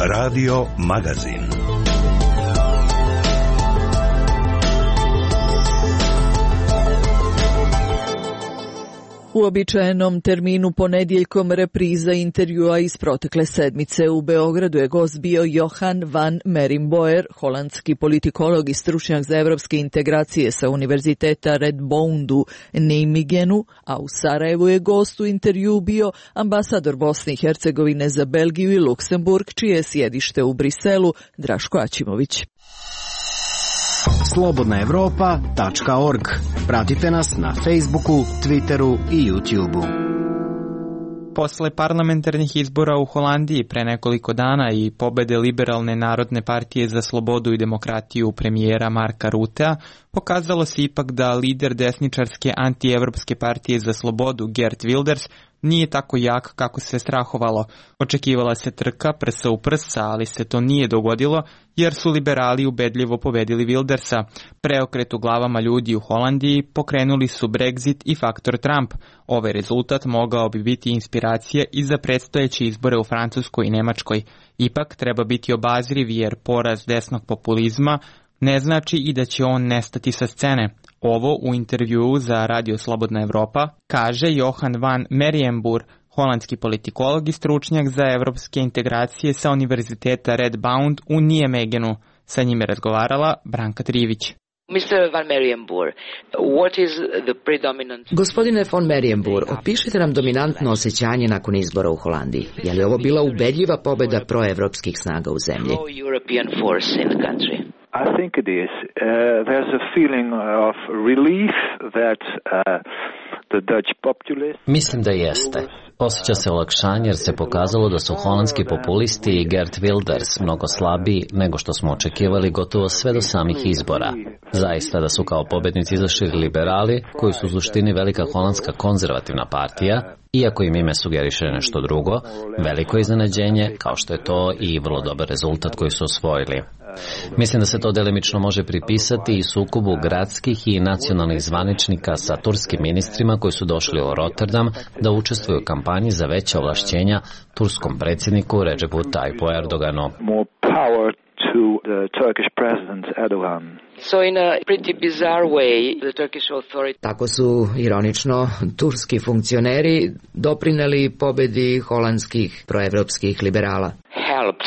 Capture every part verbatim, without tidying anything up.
Radio Magazin. U običajenom terminu ponedjeljkom repriza intervjua iz protekle sedmice u Beogradu je gost bio Johan van Merimboer, holandski politikolog i stručnjak za evropske integracije sa Univerziteta Redbound u Nijmegenu, a u Sarajevu je gost u intervjuu bio ambasador Bosne i Hercegovine za Belgiju i Luksemburg, čije je sjedište u Briselu, Draško Aćimović. slobodna evropa tačka org. Pratite nas na Facebooku, Twitteru i YouTubeu. Posle parlamentarnih izbora u Holandiji pre nekoliko dana i pobede Liberalne narodne partije za slobodu i demokratiju premijera Marka Rutea, pokazalo se ipak da lider desničarske antievropske partije za slobodu Geert Wilders nije tako jak kako se strahovalo. Očekivala se trka prsa u prsa, ali se to nije dogodilo jer su liberali ubedljivo pobedili Wildersa. Preokret u glavama ljudi u Holandiji pokrenuli su Brexit i faktor Trump. Ovaj rezultat mogao bi biti inspiracija i za predstojeće izbore u Francuskoj i Nemačkoj. Ipak treba biti obazriv jer poraz desnog populizma ne znači i da će on nestati sa scene. Ovo u intervjuu za Radio Slobodna Evropa kaže Johan van Merijemboer, holandski politikolog i stručnjak za evropske integracije sa Univerziteta Redbound u Nijmegenu. Sa njime razgovarala Branka Trivić. mister Van Merijemboer, what is the predominant... Gospodine von Merijemboer, opišite nam dominantno osjećanje nakon izbora u Holandiji. Je li ovo bila ubedljiva pobjeda proevropskih snaga u zemlji? Pro-European force in the country. I think it is. Uh, there's a feeling of relief that uh, the Dutch populists... Mislim da jeste. Osjeća se olakšanje jer se pokazalo da su holandski populisti i Geert Wilders mnogo slabiji nego što smo očekivali gotovo sve do samih izbora. Zaista da su kao pobednici izašli liberali, koji su u suštini velika holandska konzervativna partija, iako im ime sugeriše nešto drugo, veliko iznenađenje, kao što je to i vrlo dobar rezultat koji su osvojili. Mislim da se to delimično može pripisati i sukobu gradskih i nacionalnih zvaničnika sa turskim ministrima koji su došli u Rotterdam da učestvuju u kampanji za veća ovlašćenja turskom predsjedniku Recepu Tayyipu Erdoganu. To the Turkish president Erdogan. So in a pretty bizarre way, the Turkish authorities... Tako su, ironično, turski funkcioneri doprineli pobedi holandskih proevropskih liberala. Helped.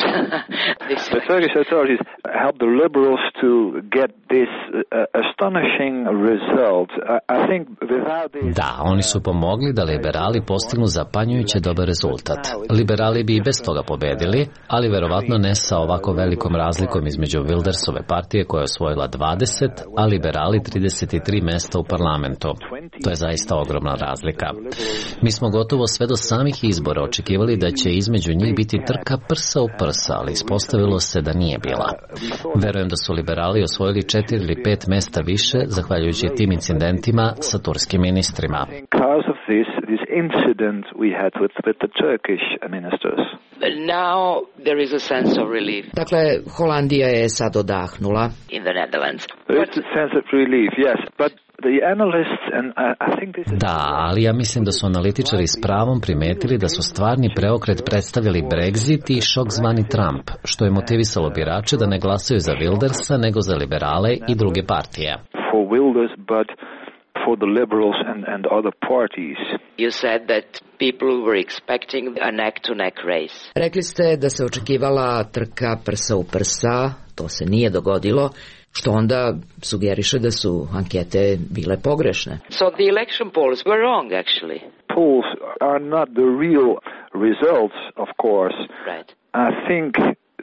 The Turkish authorities helped the liberals to get this uh, astonishing result. I think without this... Da, oni su pomogli da liberali postignu zapanjujuće dobar rezultat. Liberali bi i bez toga pobedili, ali verovatno ne sa ovako velikom razlikom između Wildersove partije koja je osvojila dvadeset, a liberali trideset tri mesta u parlamentu. To je zaista ogromna razlika. Mi smo gotovo sve do samih izbora očekivali da će između njih biti trka prsa u prsa, ali ispostavilo se da nije bila. Verujem da su liberali osvojili četiri ili pet mesta više zahvaljujući tim incidentima sa turskim ministrima. Now there is a sense of relief. Dakle, Holandija je sad odahnula. In the Netherlands. There is a sense of relief, yes, but the analysts and I think this is... Da, ali ja mislim da su analitičari s pravom primetili da su stvarni preokret predstavili Brexit i šok zvani Trump, što je motivisalo birače da ne glasaju za Wildersa nego za liberale i druge partije. For Wilders, but for the liberals and, and other parties. You said that people were expecting a neck-to-neck race. Rekli ste da se očekivala trka prsa u prsa, to se nije dogodilo, što onda sugeriše da su ankete bile pogrešne. So the election polls were wrong, actually. Polls are not the real results, of course. Right. I think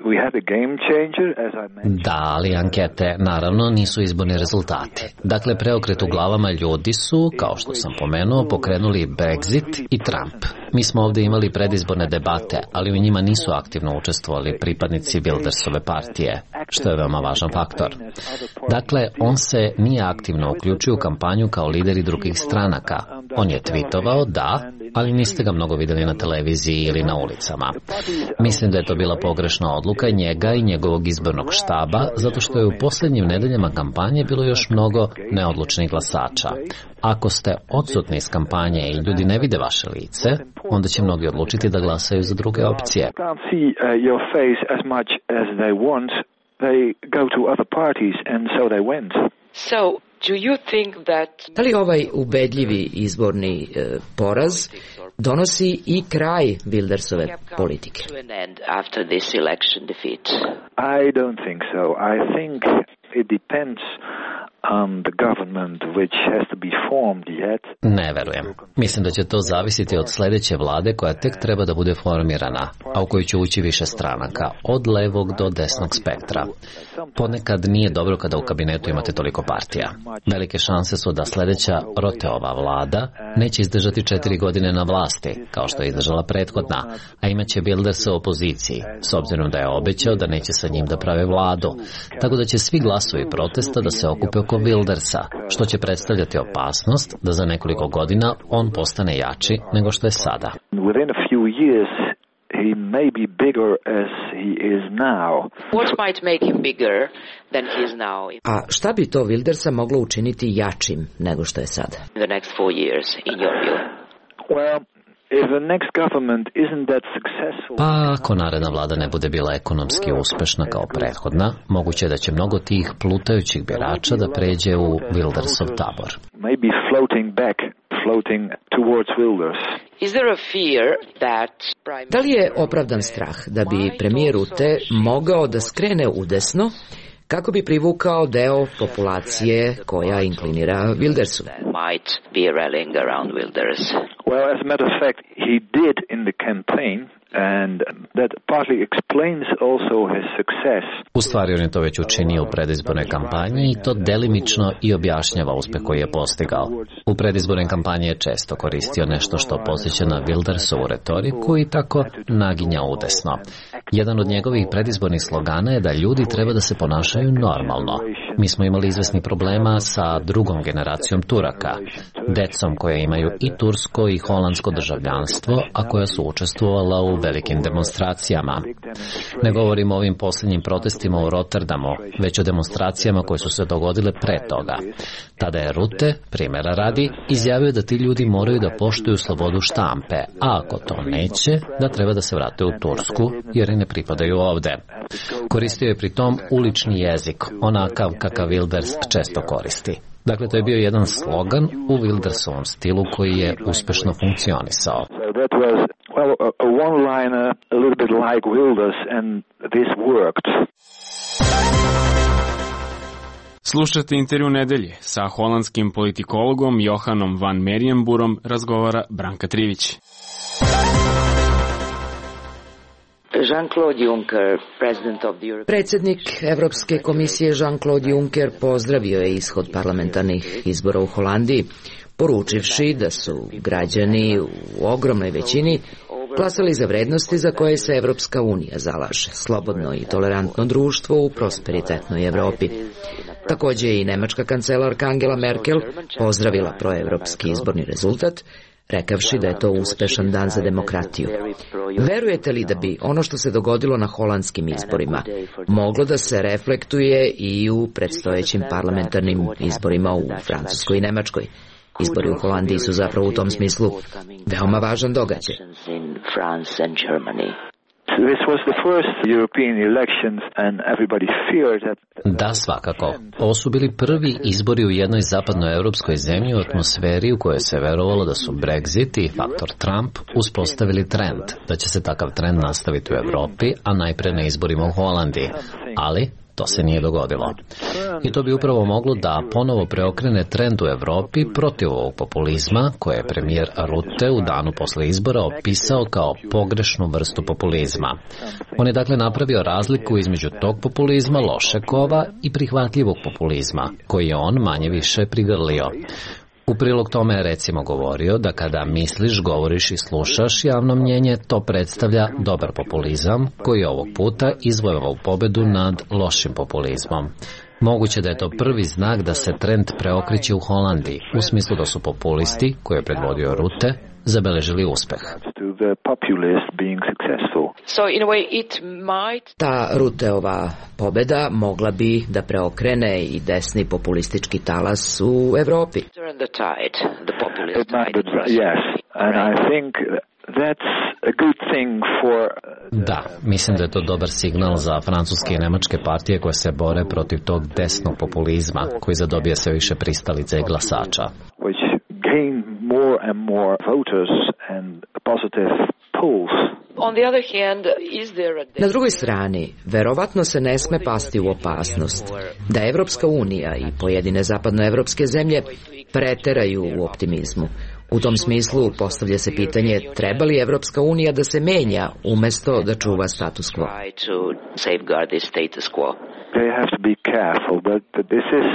we had a game changer, as I mentioned. Da, ali ankete naravno nisu izborni rezultati. Dakle, preokret u glavama ljudi su, kao što sam pomenuo, pokrenuli Brexit i Trump. Mi smo ovdje imali predizborne debate, ali u njima nisu aktivno učestvovali pripadnici Wildersove partije, što je veoma važan faktor. Dakle, on se nije aktivno uključio u kampanju kao lideri drugih stranaka, On je tweetovao, da, ali niste ga mnogo vidjeli na televiziji ili na ulicama. Mislim da je to bila pogrešna odluka njega i njegovog izbornog štaba, zato što je u posljednjim nedeljama kampanje bilo još mnogo neodlučnih glasača. Ako ste odsutni iz kampanje i ljudi ne vide vaše lice, onda će mnogi odlučiti da glasaju za druge opcije. So, do you think that... Da li ovaj ubedljivi izborni e, poraz donosi i kraj Wildersove politike? After this election defeat? I don't think so. I think it depends on the government which has to be formed yet. Ne verujem. Mislim da će to zavisiti od sljedeće vlade koja tek treba da bude formirana, a u koju će ući više stranaka, od levog do desnog spektra. Ponekad nije dobro kada u kabinetu imate toliko partija. Velike šanse su da sljedeća Roteova vlada neće izdržati četiri godine na vlasti, kao što je izdržala prethodna, a imaće Wildersa u opoziciji, s obzirom da je obećao da neće sa njim da prave vladu. Tako da će svi glasovi protesta da se okupe oko Wildersa, što će predstavljati opasnost da za nekoliko godina on postane jači nego što je sada. Within a few years he may be bigger as he is now. What might make him bigger than he is now? A šta bi to Wildersa moglo učiniti jačim nego što je sada? In the next four years, in your view? Well, if the next government isn't that successful... Pa ako naredna vlada ne bude bila ekonomski uspešna kao prethodna, moguće da će mnogo tih plutajućih birača da pređe u Wildersov tabor. Maybe floating back, floating towards Wilders. Is there a fear that... Da li je opravdan strah da bi premijer Rutte mogao da skrene udesno kako bi privukao deo populacije koja inklinira Wildersu? Might be rallying around Wilders. Well, as a matter of fact, he did in the campaign, and that partly explains also his success. U stvari on je to već učinio u predizbornoj kampanji i to delimično i objašnjava uspeh koji je postigao. U predizbornoj kampanji je često koristio nešto što posjeća na Wildersovu retoriku i tako naginja udesno. Jedan od njegovih predizbornih slogana je da ljudi treba da se ponašaju normalno. Mi smo imali izvesni problema sa drugom generacijom Turaka, decom koje imaju i tursko i holandsko državljanstvo, a koja su učestvovala u velikim demonstracijama. Ne govorimo o ovim posljednjim protestima u Rotterdamu, već o demonstracijama koje su se dogodile pre toga. Tada je Rutte, primjera radi, izjavio da ti ljudi moraju da poštuju slobodu štampe, a ako to neće, da treba da se vrate u Tursku, jer i ne pripadaju ovde. Koristio je pri tom ulični jezik, onakav kakav Wilders često koristi. Dakle, to je bio jedan slogan u Wildersovom stilu koji je uspešno funkcionisao. Slušate intervju nedelje. Sa holandskim politikologom Johanom van Merijenburom razgovara Branka Trivić. Jean-Claude Juncker, president of the European... Predsjednik Evropske komisije Jean-Claude Juncker pozdravio je ishod parlamentarnih izbora u Holandiji, poručivši da su građani u ogromnoj većini glasali za vrednosti za koje se Evropska unija zalaže, slobodno i tolerantno društvo u prosperitetnoj Evropi. Također je i nemačka kancelarka Angela Merkel pozdravila proevropski izborni rezultat, rekavši da je to uspešan dan za demokratiju. Verujete li da bi ono što se dogodilo na holandskim izborima moglo da se reflektuje i u predstojećim parlamentarnim izborima u Francuskoj i Nemačkoj? Izbori u Holandiji su zapravo u tom smislu veoma važan događaj. Da, svakako. Ovo su bili prvi izbori u jednoj zapadnoevropskoj zemlji u atmosferi u kojoj se verovalo da su Brexit i faktor Trump uspostavili trend, da će se takav trend nastaviti u Evropi, a najpre na izborima u Holandiji. Ali to se nije dogodilo. I to bi upravo moglo da ponovo preokrene trend u Evropi protiv ovog populizma, koje je premijer Rutte u danu posle izbora opisao kao pogrešnu vrstu populizma. On je dakle napravio razliku između tog populizma loše kova i prihvatljivog populizma, koji je on manje više prigrlio. U prilog tome je recimo govorio da kada misliš, govoriš i slušaš javno mnjenje, to predstavlja dobar populizam koji je ovog puta izvojevao pobedu nad lošim populizmom. Moguće da je to prvi znak da se trend preokreće u Holandiji, u smislu da su populisti, koje je predvodio Rutte, zabeležili uspeh. Ta Rutteova pobeda mogla bi da preokrene i desni populistički talas u Evropi. Da, mislim da je to dobar signal za francuske i nemačke partije koje se bore protiv tog desnog populizma koji zadobija sve više pristalica i glasača. Na drugoj strani, verovatno se ne sme pasti u opasnost da Evropska unija i pojedine zapadnoevropske zemlje preteraju u optimizmu. U tom smislu postavlja se pitanje treba li Evropska unija da se menja umesto da čuva status quo. They have to be careful that this is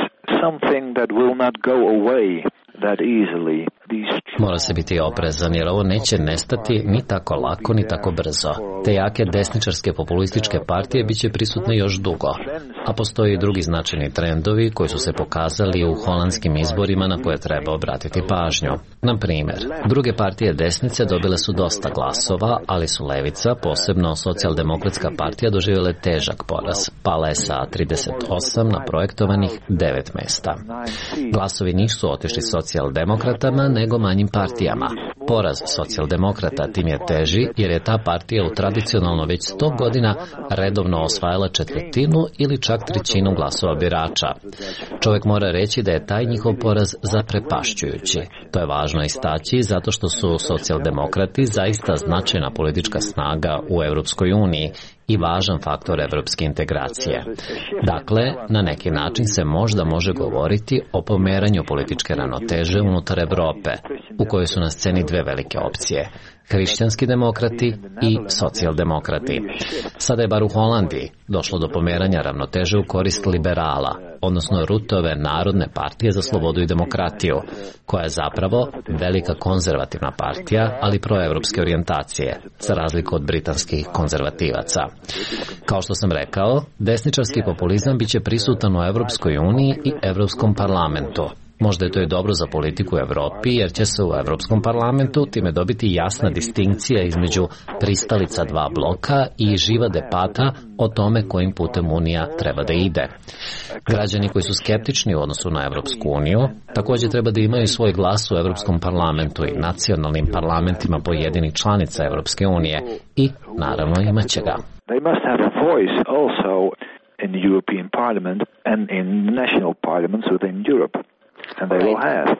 something that will not go away that easily. Mora se biti oprezan jer ovo neće nestati ni tako lako ni tako brzo. Te jake desničarske populističke partije bit će prisutne još dugo. A postoje i drugi značajni trendovi koji su se pokazali u holandskim izborima na koje treba obratiti pažnju. Na primjer, druge partije desnice dobile su dosta glasova, ali su levica, posebno socijaldemokratska partija, doživjele težak poraz. Pala je sa trideset osam na projektovanih devet mesta. Glasovi nisu otišli socijaldemokratama, nego manjim partijama. Poraz socijaldemokrata tim je teži jer je ta partija u tradicionalno već sto godina redovno osvajala četvrtinu ili čak trećinu glasova birača. Čovjek mora reći da je taj njihov poraz zaprepašćujući. To je važno istaći zato što su socijaldemokrati zaista značajna politička snaga u Europskoj uniji i važan faktor evropske integracije. Dakle, na neki način se možda može govoriti o pomeranju političke ravnoteže unutar Evrope, u kojoj su na sceni dve velike opcije, hrišćanski demokrati i socijaldemokrati. Sada je bar u Holandiji došlo do pomeranja ravnoteže u korist liberala, odnosno Ruttove Narodne partije za slobodu i demokratiju, koja je zapravo velika konzervativna partija, ali proevropske orijentacije, za razliku od britanskih konzervativaca. Kao što sam rekao, desničarski populizam biće prisutan u Evropskoj uniji i Evropskom parlamentu. Možda je to i dobro za politiku u Evropi, jer će se u Evropskom parlamentu time dobiti jasna distinkcija između pristalica dva bloka i živa debata o tome kojim putem Unija treba da ide. Građani koji su skeptični u odnosu na Evropsku uniju također treba da imaju svoj glas u Evropskom parlamentu i nacionalnim parlamentima pojedinih članica Evropske unije i, naravno, imat će ga. They must have a voice also in the European Parliament and in national parliaments within Europe. And they will have.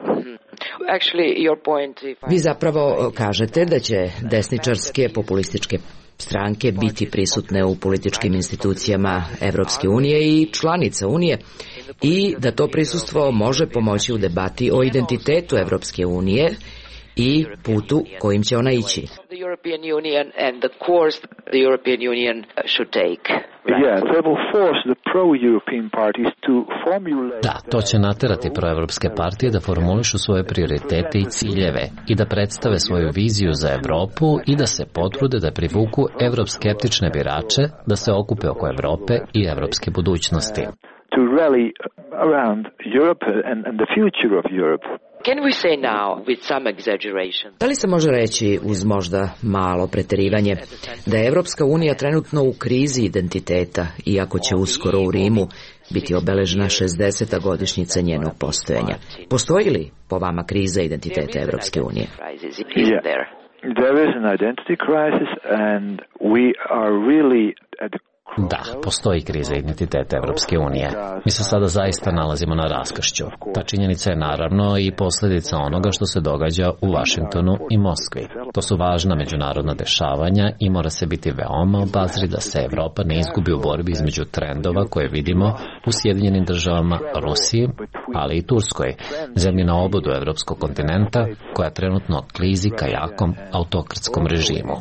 Vi zapravo kažete da će desničarske populističke stranke biti prisutne u političkim institucijama Evropske unije i članica Unije i da to prisustvo može pomoći u debati o identitetu Evropske unije i putu kojim će ona ići. Da, to će naterati proevropske partije da formulišu svoje prioritete i ciljeve i da predstave svoju viziju za Evropu i da se potrude da privuku evroskeptične birače da se okupe oko Evrope i evropske budućnosti. To rally around Europe and, and the future of Europe. Can we say now, with some exaggeration? Da li se može reći, uz možda malo preterivanje, da je Evropska unija trenutno u krizi identiteta, iako će uskoro u Rimu biti obeležena šezdeseta godišnjica njenog postojanja? Postoji li po vama kriza identiteta Evropske unije? Yeah. There is an identity crisis and we are really at the Da, postoji kriza identiteta Evropske unije. Mi se sada zaista nalazimo na raskršću. Ta činjenica je naravno i posljedica onoga što se događa u Vašingtonu i Moskvi. To su važna međunarodna dešavanja i mora se biti veoma obazri da se Evropa ne izgubi u borbi između trendova koje vidimo u Sjedinjenim državama, Rusiji, ali i Turskoj, zemlji na obodu evropskog kontinenta koja trenutno klizi ka jakom autokratskom režimu.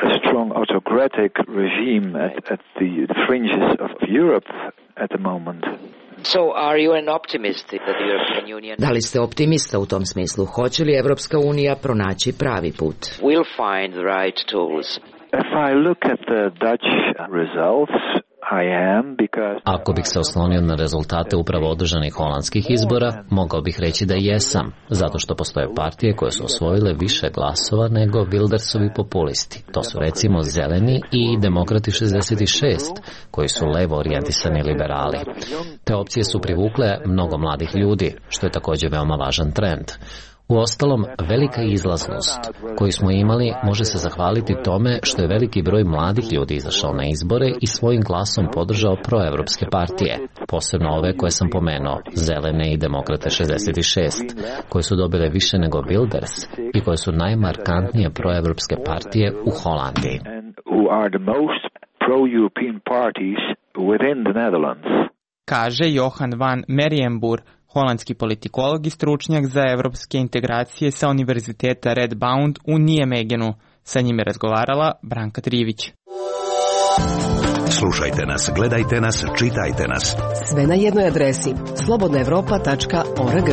A strong autocratic regime at, at the fringes of Europe at the moment. So are you an optimist that the European Union... Da li ste optimista u tom smislu? Hoće li Evropska unija pronaći pravi put? We'll find the right tools. If I look at the Dutch results, I am because... Ako bih se oslonio na rezultate upravo održanih holandskih izbora, mogao bih reći da jesam, zato što postoje partije koje su osvojile više glasova nego Wildersovi populisti. To su recimo Zeleni i Demokrati šezdeset šest, koji su levo orijentisani liberali. Te opcije su privukle mnogo mladih ljudi, što je također veoma važan trend. Uostalom, velika izlaznost koju smo imali može se zahvaliti tome što je veliki broj mladih ljudi izašao na izbore i svojim glasom podržao proevropske partije, posebno ove koje sam pomenuo, Zelene i Demokrate šezdeset šest, koje su dobile više nego Wilders i koje su najmarkantnije proevropske partije u Holandiji. Kaže Johan van Merijenboer, holandski politikolog i stručnjak za evropske integracije sa Univerziteta Radboud u Nijemegenu. Sa njim je razgovarala Branka Trivić. Slušajte nas, gledajte nas, čitajte nas. Sve na jednoj adresi slobodna evropa tačka org.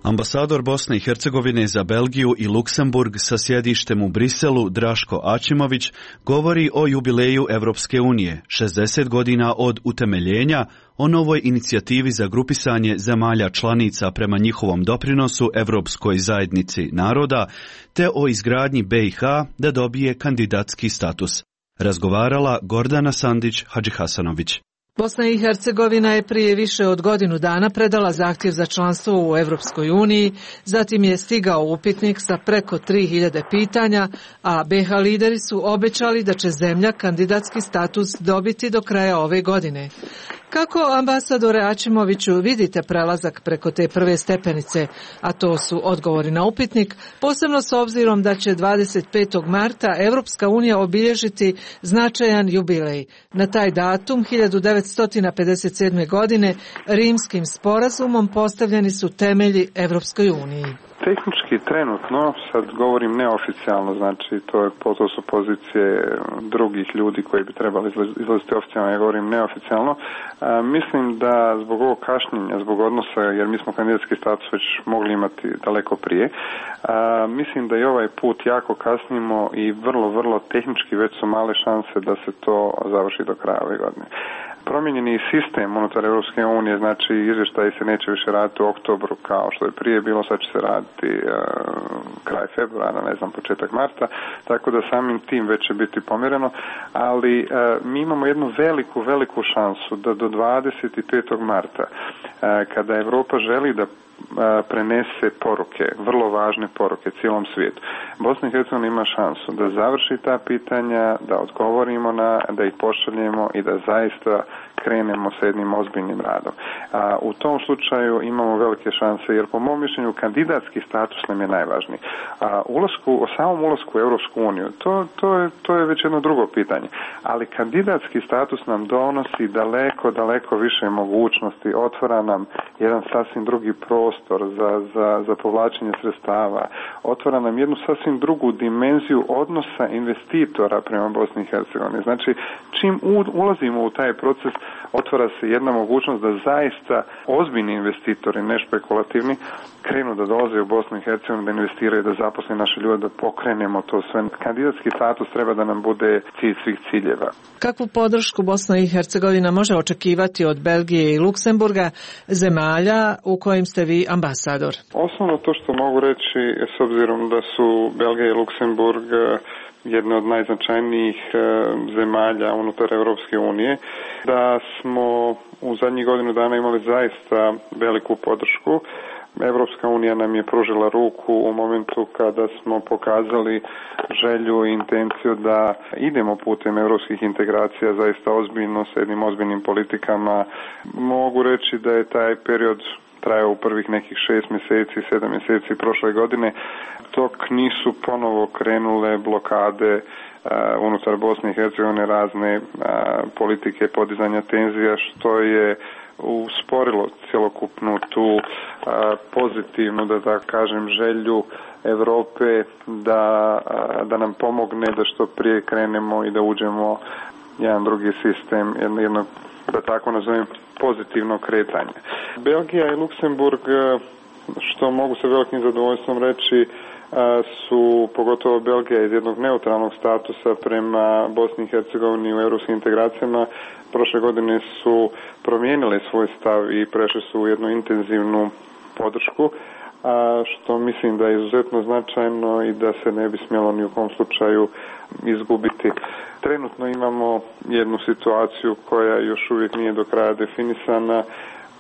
Ambasador Bosne i Hercegovine za Belgiju i Luksemburg sa sjedištem u Briselu, Draško Ačimović, govori o jubileju Evropske unije, šezdeset godina od utemeljenja, o novoj inicijativi za grupisanje zemalja članica prema njihovom doprinosu Evropskoj zajednici naroda, te o izgradnji B i H da dobije kandidatski status. Razgovarala Gordana Sandić-Hadžihasanović. Bosna i Hercegovina je prije više od godinu dana predala zahtjev za članstvo u Evropskoj uniji, zatim je stigao upitnik sa preko tri hiljade pitanja, a B i H lideri su obećali da će zemlja kandidatski status dobiti do kraja ove godine. Kako, ambasadore Ačimoviću, vidite prelazak preko te prve stepenice, a to su odgovori na upitnik, posebno s obzirom da će dvadeset petog marta Evropska unija obilježiti značajan jubilej. Na taj datum, hiljadu devetsto pedeset sedme. godine, Rimskim sporazumom postavljeni su temelji Evropskoj uniji. Tehnički trenutno, sad govorim neoficijalno, znači to, je, to su pozicije drugih ljudi koji bi trebali izlaziti oficijalno, ja govorim neoficijalno. A, mislim da zbog ovog kašnjenja, zbog odnosa, jer mi smo kandidatski status već mogli imati daleko prije, a, mislim da i ovaj put jako kasnimo i vrlo, vrlo tehnički već su male šanse da se to završi do kraja ove godine. Promijenjeni sistem unutar Europske unije, znači izvještaji se neće više raditi u oktobru kao što je prije bilo, sad će se raditi uh, kraj februara, ne znam, početak marta, tako da samim tim već će biti pomjereno, ali uh, mi imamo jednu veliku, veliku šansu da do dvadeset petog marta, uh, kada Europa želi da prenese poruke, vrlo važne poruke cijelom svijetu. Bosna i Hercegovina ima šansu da završi ta pitanja, da odgovorimo na, da ih pošaljemo i da zaista krenemo s jednim ozbiljnim radom. A, u tom slučaju imamo velike šanse, jer po mom mišljenju kandidatski status nam je najvažniji. A ulasku, o samom ulasku u Europsku uniju, to, to, je, to je već jedno drugo pitanje. Ali kandidatski status nam donosi daleko, daleko više mogućnosti, otvara nam jedan sasvim drugi prostor za, za, za povlačenje sredstava, otvara nam jednu sasvim drugu dimenziju odnosa investitora prema Bosni i Hercegovini. Znači, čim ulazimo u taj proces, otvara se jedna mogućnost da zaista ozbiljni investitori, ne špekulativni, krenu da dolaze u Bosnu i Hercegovinu, da investiraju, da zaposle naše ljude, da pokrenemo to sve. Kandidatski status treba da nam bude cilj svih ciljeva. Kakvu podršku Bosna i Hercegovina može očekivati od Belgije i Luksemburga, zemalja u kojim ste vi ambasador? Osnovno to što mogu reći, s obzirom da su Belgija i Luksemburg jedne od najznačajnijih zemalja unutar Europske unije, da smo u zadnjih godinu dana imali zaista veliku podršku. Evropska unija nam je pružila ruku u momentu kada smo pokazali želju i intenciju da idemo putem evropskih integracija zaista ozbiljno, s jednim ozbiljnim politikama. Mogu reći da je taj period trajao u prvih nekih šest mjeseci, sedam mjeseci prošle godine, dok nisu ponovo krenule blokade uh, unutar Bosne i Hercegovine, razne uh, politike podizanja tenzija, što je usporilo cjelokupnu tu uh, pozitivnu, da tako kažem, želju Europe da, uh, da nam pomogne da što prije krenemo i da uđemo jedan drugi sistem, jedno, jedno da tako nazovem, pozitivno kretanje. Belgija i Luksemburg, što mogu sa velikim zadovoljstvom reći, su, pogotovo Belgija, iz jednog neutralnog statusa prema Bosni i Hercegovini u europskim integracijama, prošle godine su promijenile svoj stav i prešli su u jednu intenzivnu podršku, a što mislim da je izuzetno značajno i da se ne bi smjelo ni u kom slučaju izgubiti. Trenutno imamo jednu situaciju koja još uvijek nije do kraja definisana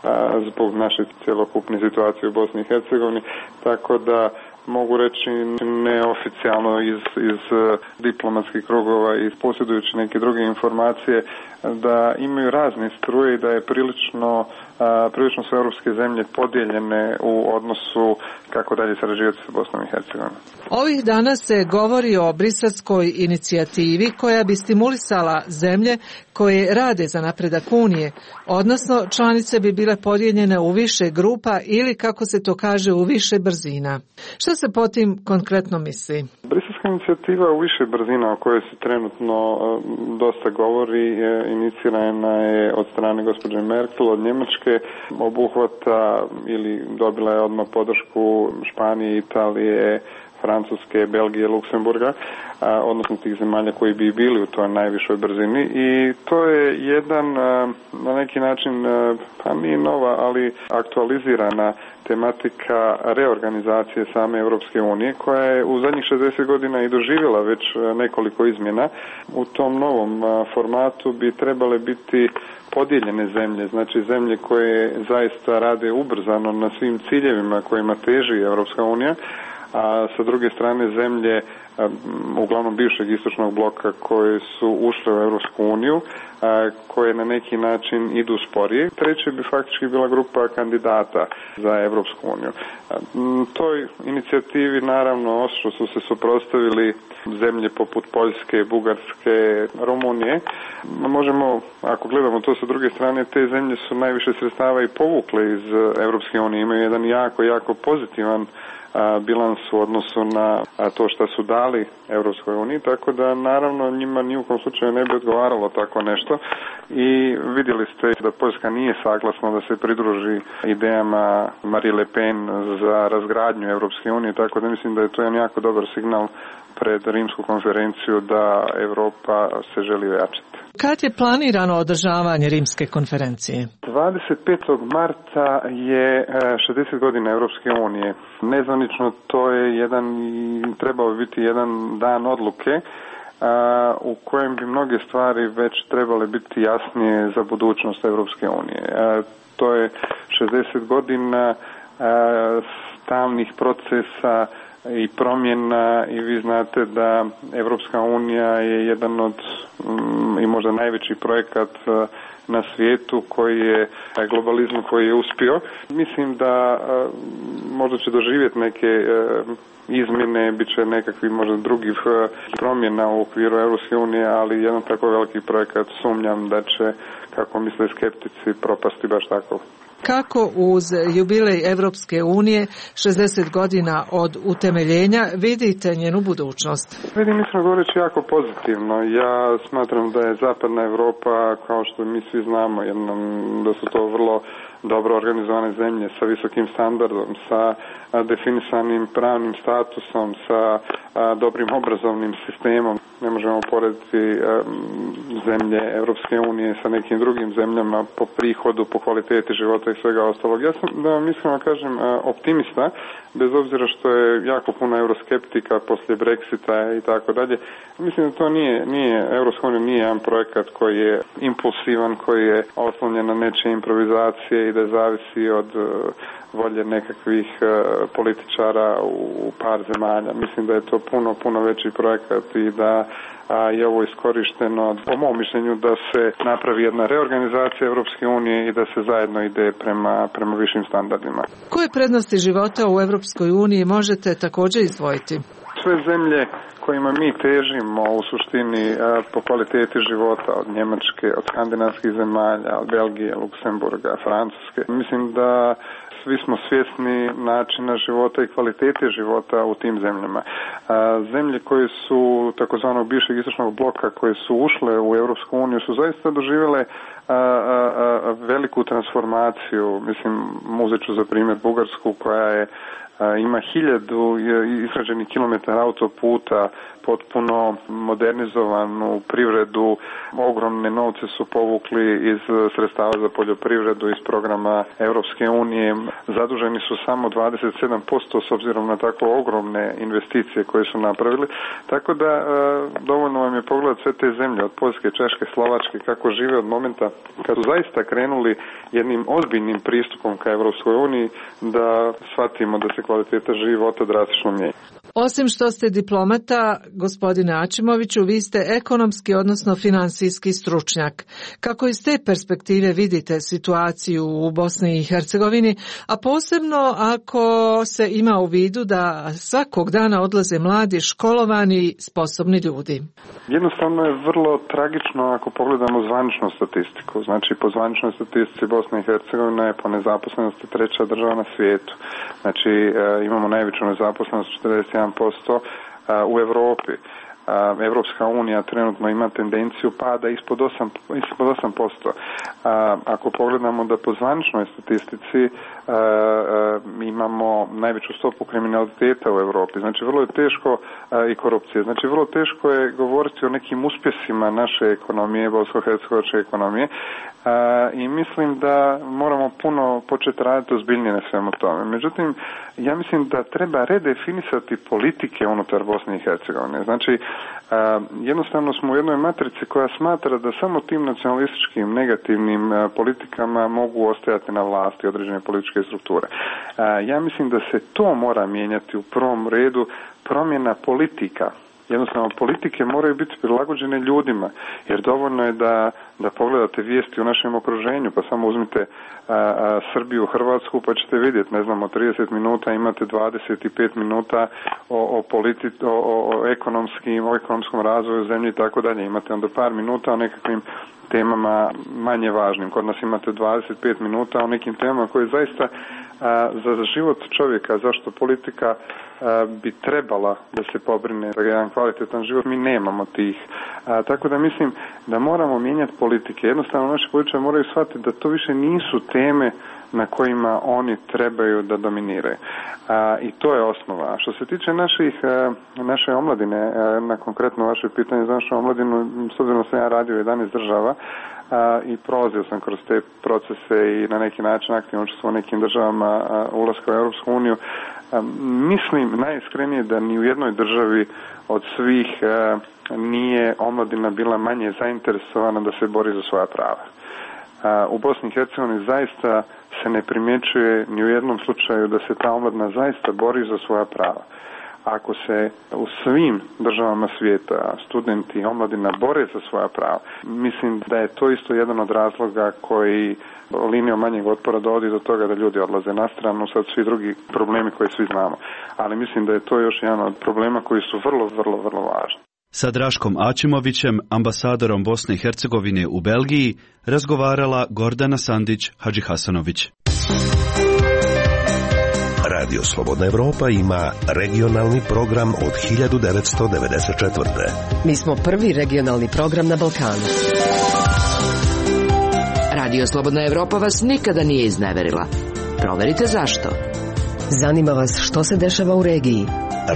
a, zbog naše cjelokupne situacije u Bosni i Hercegovini, tako da mogu reći neoficijalno iz, iz diplomatskih krugova i posjedujući neke druge informacije da imaju razne struje i da je prilično, a, prilično su europske zemlje podijeljene u odnosu kako dalje sarađivati sa Bosnom i Hercegovinom. Ovih dana se govori o briselskoj inicijativi koja bi stimulisala zemlje koje rade za napredak Unije, odnosno članice bi bile podijeljene u više grupa ili, kako se to kaže, u više brzina. Što se po tim konkretno misli? Briselska inicijativa u više brzina o kojoj se trenutno dosta govori, inicirana je od strane gospođe Merkel od Njemačke, obuhvata ili dobila je odmah podršku Španije, Italije, Francuske, Belgije, Luksemburga, a, odnosno tih zemalja koji bi bili u toj najvišoj brzini, i to je jedan a, na neki način, a, pa nije nova, ali aktualizirana tematika reorganizacije same Europske unije, koja je u zadnjih šezdeset godina i doživjela već nekoliko izmjena. U tom novom a, formatu bi trebale biti podijeljene zemlje, znači zemlje koje zaista rade ubrzano na svim ciljevima kojima teži Europska unija, a sa druge strane zemlje uglavnom bivšeg istočnog bloka koje su ušle u Europsku uniju, koje na neki način idu sporije. Treće bi faktički bila grupa kandidata za Europsku uniju. Toj inicijativi naravno ostro su se suprotstavili zemlje poput Poljske, Bugarske, Rumunije. Možemo, ako gledamo to sa druge strane, te zemlje su najviše sredstava i povukle iz Europske unije. Imaju jedan jako, jako pozitivan bilans u odnosu na to što su dali Europskoj uniji, tako da naravno njima ni u kom slučaju ne bi odgovaralo tako nešto, i vidjeli ste da Poljska nije saglasna da se pridruži idejama Marine Le Pen za razgradnju Europske unije, tako da mislim da je to jedan jako dobar signal pred rimsku konferenciju da Europa se želi ojačati. Kad je planirano održavanje rimske konferencije? dvadeset petog marta je šezdeset godina Europske unije. Nezvanično to je jedan, trebao biti jedan dan odluke a, u kojem bi mnoge stvari već trebale biti jasnije za budućnost Europske unije. A, to je šezdeset godina a, stalnih procesa i promjena, i vi znate da Europska unija je jedan od mm, i možda najveći projekat uh, na svijetu koji je globalizam koji je uspio. Mislim da uh, možda će doživjeti neke uh, izmjene, bit će nekakvi možda drugih uh, promjena u okviru Europske unije, ali jedan tako veliki projekat sumnjam da će, kako misle skeptici, propasti baš tako. Kako uz jubilej Evropske unije, šezdeset godina od utemeljenja, vidite njenu budućnost? Vidim, mislim, govoreći jako pozitivno. Ja smatram da je Zapadna Europa, kao što mi svi znamo, jednom, da su to vrlo dobro organizovane zemlje sa visokim standardom, sa definisanim pravnim statusom, sa dobrim obrazovnim sistemom. Ne možemo porediti zemlje Europske unije sa nekim drugim zemljama po prihodu, po kvaliteti života i svega ostalog. Ja sam, da vam iskreno kažem, optimista, bez obzira što je jako puno euroskeptika poslije Brexita i tako dalje. Mislim da to nije, nije, Europska unija nije jedan projekat koji je impulsivan, koji je oslonjen na nečije improvizacije i da zavisi od volje nekakvih političara u par zemalja. Mislim da je to puno, puno veći projekat i da a, je ovo iskorišteno, po mom mišljenju, da se napravi jedna reorganizacija Europske unije i da se zajedno ide prema, prema višim standardima. Koje prednosti života u Europskoj uniji možete također izdvojiti? Sve zemlje kojima mi težimo u suštini po kvaliteti života, od Njemačke, od skandinavskih zemalja, od Belgije, Luksemburga, Francuske. Mislim da svi smo svjesni načina života i kvalitete života u tim zemljama. Zemlje koje su takozvanog bivšeg istočnog bloka, koje su ušle u Europsku uniju, su zaista doživjele A, a, a, veliku transformaciju. Mislim, uzet ću za primjer Bugarsku koja je a, ima hiljadu izgrađenih kilometara autoputa, potpuno modernizovanu privredu, ogromne novce su povukli iz sredstava za poljoprivredu iz programa Europske unije, zaduženi su samo dvadeset sedam posto s obzirom na tako ogromne investicije koje su napravili, tako da e, dovoljno vam je pogledati sve te zemlje od Poljske, Češke, Slovačke kako žive od momenta kad su zaista krenuli jednim ozbiljnim pristupom ka Europskoj uniji da shvatimo da se kvaliteta života drastično mijenja. Osim što ste diplomata, gospodine Ačimoviću, vi ste ekonomski, odnosno finansijski stručnjak. Kako iz te perspektive vidite situaciju u Bosni i Hercegovini, a posebno ako se ima u vidu da svakog dana odlaze mladi, školovani, sposobni ljudi? Jednostavno je vrlo tragično ako pogledamo zvaničnu statistiku. Znači, po zvaničnoj statistici Bosna i Hercegovina je po nezaposlenosti treća država na svijetu. Znači, imamo najveću nezaposlenost četrdeset jedan posto u Europi. Evropska unija trenutno ima tendenciju pada ispod osam posto. Ako pogledamo da po zvaničnoj statistici imamo najveću stopu kriminaliteta u Europi, znači vrlo je teško i korupcije, znači vrlo teško je govoriti o nekim uspjesima naše ekonomije, bosansko-hercegovačke ekonomije, i mislim da moramo puno početi raditi ozbiljnije na svemu tome. Međutim, ja mislim da treba redefinisati politike unutar Bosne i Hercegovine. Znači, jednostavno smo u jednoj matrici koja smatra da samo tim nacionalističkim negativnim politikama mogu ostajati na vlasti određene političke strukture. Ja mislim da se to mora mijenjati u prvom redu, promjena politika. Jednostavno, politike moraju biti prilagođene ljudima, jer dovoljno je da, da pogledate vijesti u našem okruženju, pa samo uzmite a, a, Srbiju, Hrvatsku, pa ćete vidjeti, ne znam, od trideset minuta imate dvadeset pet minuta o, o, politi, o, o, ekonomskim, o ekonomskom razvoju zemlje i tako dalje. Imate onda par minuta o nekakvim temama manje važnim. Kod nas imate dvadeset pet minuta o nekim temama koje zaista a, za život čovjeka, zašto politika a, bi trebala da se pobrine za jedan kvalitetan život, mi nemamo tih. A, tako da mislim da moramo mijenjati politike. Jednostavno naši političari moraju shvatiti da to više nisu teme na kojima oni trebaju da dominiraju. A, I to je osnova. Što se tiče naših, a, naše omladine, a, na konkretno vaše pitanje za našu omladinu, s obzirom da sam ja radio u jedanaest država a, i prolazio sam kroz te procese i na neki način aktivno učestvovao u nekim državama a, ulaska u Europsku uniju, a, mislim najiskrenije da ni u jednoj državi od svih a, nije omladina bila manje zainteresovana da se bori za svoja prava. A, u Bosni i Hercegovini zaista se ne primjećuje ni u jednom slučaju da se ta omladina zaista bori za svoja prava. Ako se u svim državama svijeta studenti i omladina bore za svoja prava, mislim da je to isto jedan od razloga koji linijom manjeg otpora dovodi do toga da ljudi odlaze na stranu, sad svi drugi problemi koje svi znamo. Ali mislim da je to još jedan od problema koji su vrlo, vrlo, vrlo važni. Sa Draškom Ačimovićem, ambasadorom Bosne i Hercegovine u Belgiji, razgovarala Gordana Sandić-Hadžihasanović. Radio Slobodna Evropa ima regionalni program od hiljadu devetsto devedeset četvrte. Mi smo prvi regionalni program na Balkanu. Radio Slobodna Evropa vas nikada nije izneverila. Proverite zašto. Zanima vas što se dešava u regiji.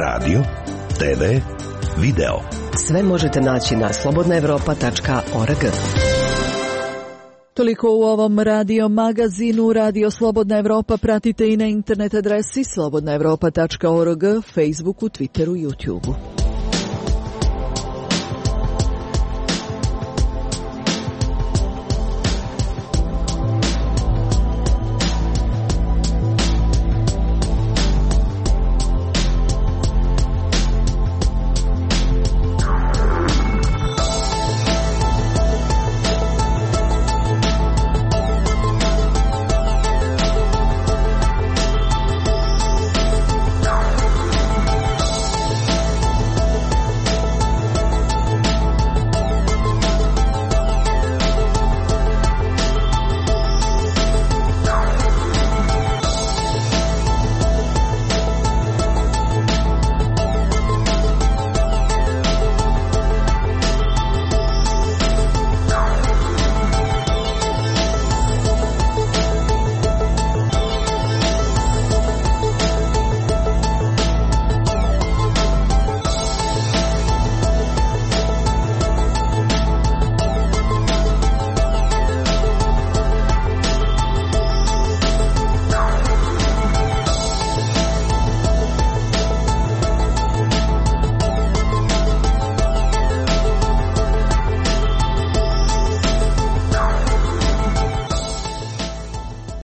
Radio, te ve, video. Sve možete naći na slobodna evropa tačka org. Toliko u ovom radio magazinu. Radio Slobodna Evropa pratite i na internet adresi slobodna evropa tačka org, Facebooku, Twitteru, YouTubeu.